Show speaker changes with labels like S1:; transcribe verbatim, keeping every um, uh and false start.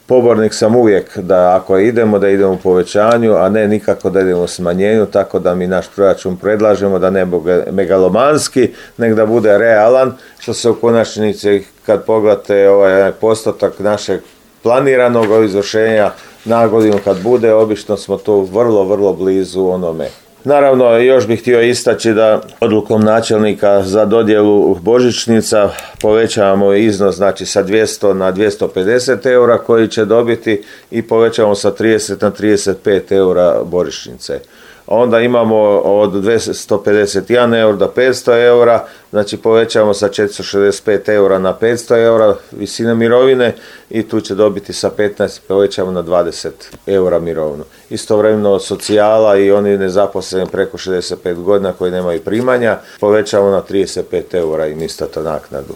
S1: Pobornik sam uvijek da ako idemo, da idemo u povećanju, a ne nikako da idemo u smanjenju, tako da mi naš proračun predlažemo da ne bude megalomanski, nego da bude realan, što se u konačnici kad pogledate ovaj postotak našeg planiranog izvršenja na godinu kad bude, obično smo tu vrlo, vrlo blizu onome. Naravno, još bih htio istaći da odlukom načelnika za dodjelu božićnica povećavamo iznos, znači sa dvjesto na dvjesto pedeset eura koji će dobiti i povećavamo sa trideset na trideset pet eura božićnice. Onda imamo od dvjesto pedeset jedan eura do petsto eura, znači povećavamo sa četiristo šezdeset pet eura na petsto eura visine mirovine i tu će dobiti sa petnaest, povećamo na dvadeset eura mirovinu. Istovremeno socijala i oni nezaposleni preko šezdeset pet godina koji nemaju primanja, povećamo na trideset pet eura im isto naknadu.